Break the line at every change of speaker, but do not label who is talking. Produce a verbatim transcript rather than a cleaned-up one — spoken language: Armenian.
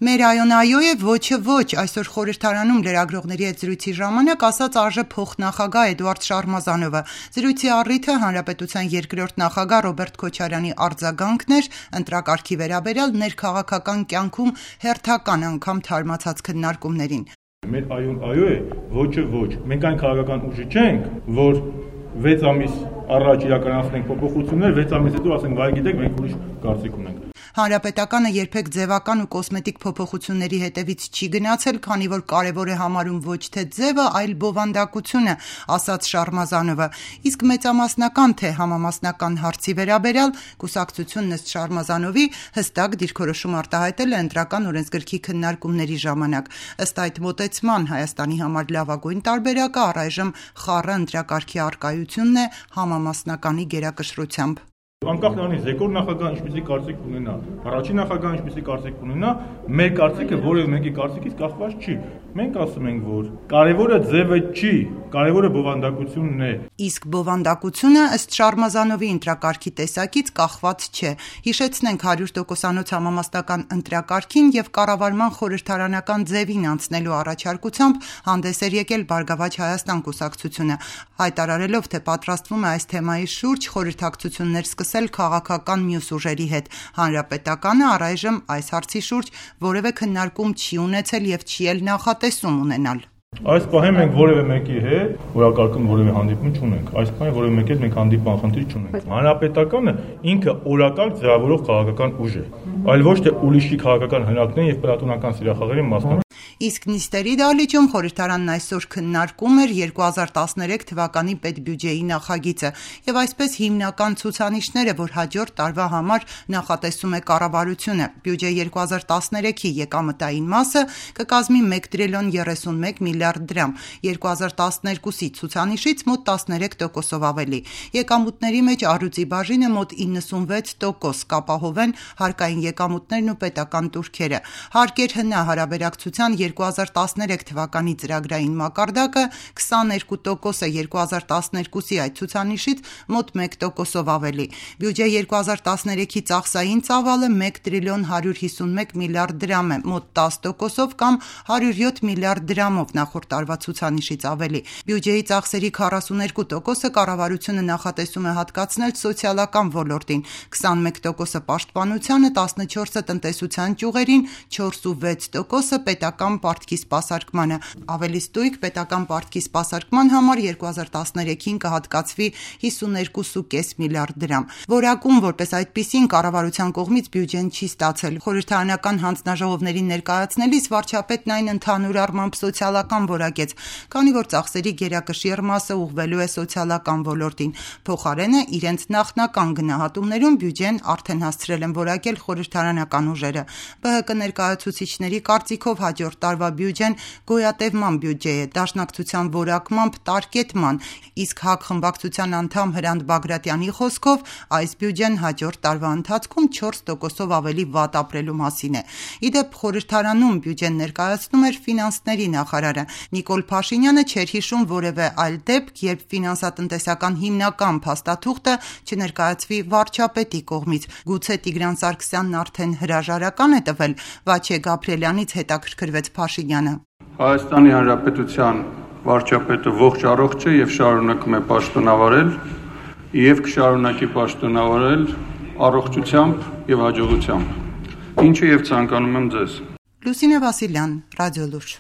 Մեր այոն այո է, ոչը ոչ, այսօր խորհրդարանում լրագրողների հետ զրույցի ժամանակ ասաց ԱԺ փոխնախագահ Էդուարդ Շարմազանովը։ Զրույցի առիթը Հանրապետության երկրորդ նախագահ Ռոբերտ Քոչարյանի արձագանքն էր ընտրակարգի վերաբերյալ ներքաղաքական կյանքում հերթական անգամ թարմացած քննարկումներին։
Մեր այոն այո է, ոչը ոչ։ Մենք այն քաղաքական ուժը չենք, որ վեց ամիս առաջ իրականացնենք փոփոխություններ, վեց ամիս հետո ասենք, վայ գիտեք, մենք ուրիշ կարծիք ունենք։
Հանրապետականը երբեք ձևական ու կոսմետիկ փոփոխությունների հետևից չի գնացել, քանի որ կարևոր է համարում ոչ թե ձևը, այլ բովանդակությունը, ասաց Շարմազանովը։ Իսկ մեծամասնական թե համամասնական հարցի վերաբերյալ կուսակցությունն ըստ Շարմազանովի հստակ դիրքորոշում արտահայտել է ընտրական օրենսգրքի քննարկումների ժամանակ։ Ըստ այդ մոտեցման Հայաստանի համար լավագույն տարբերակը առայժմ խառը ընտրակարգի առկայությունն է համամասնականի գերակշռությամբ։
Անկախ նրանից երկրորդ նախագահը ինչպեսի կարծիք ունենա, առաջին նախագահը ինչպեսի կարծիք ունենա, մեր կարծիքը որևէ մեկի կարծիքից կախված չի։ Մենք ասում ենք, որ կարևորը ձևը չի, կարևորը բովանդակությունն է։
Իսկ բովանդակությունը ըստ Շարմազանովի ընտրակարգի տեսակից կախված չէ։ Հիշեցնենք հարյուր տոկոսանոց համամասնական ընտրակարգին եւ կառավարման խորհրդարանական ձևին անցնելու առաջարկությամբ հանդես էր եկել Բարգավաճ Հայաստան կուսակցությունը, հայտարարելով, թե պատրաստվում է այս թեմայի շուրջ խորհրդակցություններ սկսել քաղաքական մյուս ուժերի հետ։ Հանրապետականը առայժմ այս հարցի շուրջ որևէ քննարկում չի ունեցել եւ չի էլ նախատեսում ունենալ։
Այս պահին մենք որևէ մեկի հետ օրակարգում որևէ հանդիպում չունենք։ Այս պահին որևէ մեկի հետ մենք հանդիպման խնդիր չունենք։ Հանրապետականը ինքը օրակարգ ձևավորող քաղաքական ուժ է, այլ ոչ թե ուրիշի քաղաքական հնարքներին եւ պլատոնական սիրախաղերի մասնակցություն։
Իսկ նիստերի դահլիճում խորհրդարանն այսօր քննարկում էր երկու հազար տասներեք թվականի պետբյուջեի նախագիծը եւ այսպես հիմնական ցուցանիշները, որ հաջորդ տարվա համար նախատեսում է կառավարությունը։ Բյուջե երկու հազար տասներեքի եկամտային մասը կկազմի մեկ տրիլիոն երեսունմեկ միլիարդ դրամ, երկու հազար տասներկուսի ցուցանիշից մոտ տասներեք տոկոսով ավելի։ Եկամուտների մեջ առյուծի բաժինը մոտ իննսունվեց տոկոս, կապահովեն հարկային եկամուտներն ու պետական տուրքերը։ Հարկեր հնա հարաբերակցության երկու հազար տասներեք թվականի ծրագրային մակարդակը քսաներկու տոկոս է, երկու հազար տասներկուսի այդ ցուցանիշից մոտ մեկ տոկոսով ավելի։ Բյուջե երկու հազար տասներեքի ծախսային ծավալը մեկ տրիլիոն հարյուր հիսունմեկ միլիարդ դրամ է, մոտ տաս տոկոսով կամ հարյուր յոթ միլիարդ դրամով նախորդ տարվա ցուցանիշից ավելի։ Բյուջեի ծախսերի քառասուներկու տոկոսը կառավարությունը նախատեսում է հատկացնել սոցիալական ոլորտին, քսանմեկ տոկոսը պաշտպանությանը, տասնչորսը տնտեսության ճյուղերին, չորսուվեց տոկոսը պետական պարտքի սպասարկմանը։ Ավելի ստույգ պետական պարտքի սպասարկման համար երկու հազար տասներեքին կհատկացվի հիսուներկու կես միլիարդ դրամ։ Որակում որպես այդպիսին կառավարության կողմից բյուջեն չի ստացել։ Խորհրդարանական հանձնաժողովներին ներկայացնելիս վարչապետն այն ընդհանուր առմամբ սոցիալական որակեց, քանի որ ծախսերի գերակշիռ մասը ուղղվելու է սոցիալական ոլորտին։ Փոխարենը իրենց նախնական գնահատումներում բյուջեն արդեն հասցրել են որակել խորհրդարանական ուժերը։ ԲՀԿ ներկայացուցիչների կարծիքով հաջորդ տարվա բյուջեն գոյատևման բյուջե է, դաշնակցության որակմամբ տարկետման, իսկ ՀԱԿ խմբակցության անդամ Հրանտ Բագրատյանի խոսքով այս բյուջեն հաջորդ տարվա ընթացքում չորս տոկոսով ավելի վատ ապրելու մասին է։ Իդեպ խորհրդարանում բյուջեն ներկայացնում էր ֆինանսների նախարարը։ Նիկոլ Փաշինյանը չէր հիշում որևէ այլ դեպք, երբ ֆինանսատնտեսական հիմնական փաստաթուղթը չներկայացվի վարչապետի կողմից։ Գուցե Տիգրան Սարգսյանն արդեն հրաժարական է տվել։ Վաչե Գաբրիելյանից հետաքրքրվեց Փաշինյանը։
Հայաստանի Հանրապետության վարչապետը ողջ առողջ է եւ շարունակում է պաշտոնավարել եւ կշարունակի պաշտոնավարել առողջությամբ եւ հաջողությամբ, ինչը եւ ցանկանում եմ ձեզ։
Լուսինե Վասիլյան, Ռադիոլուրջ։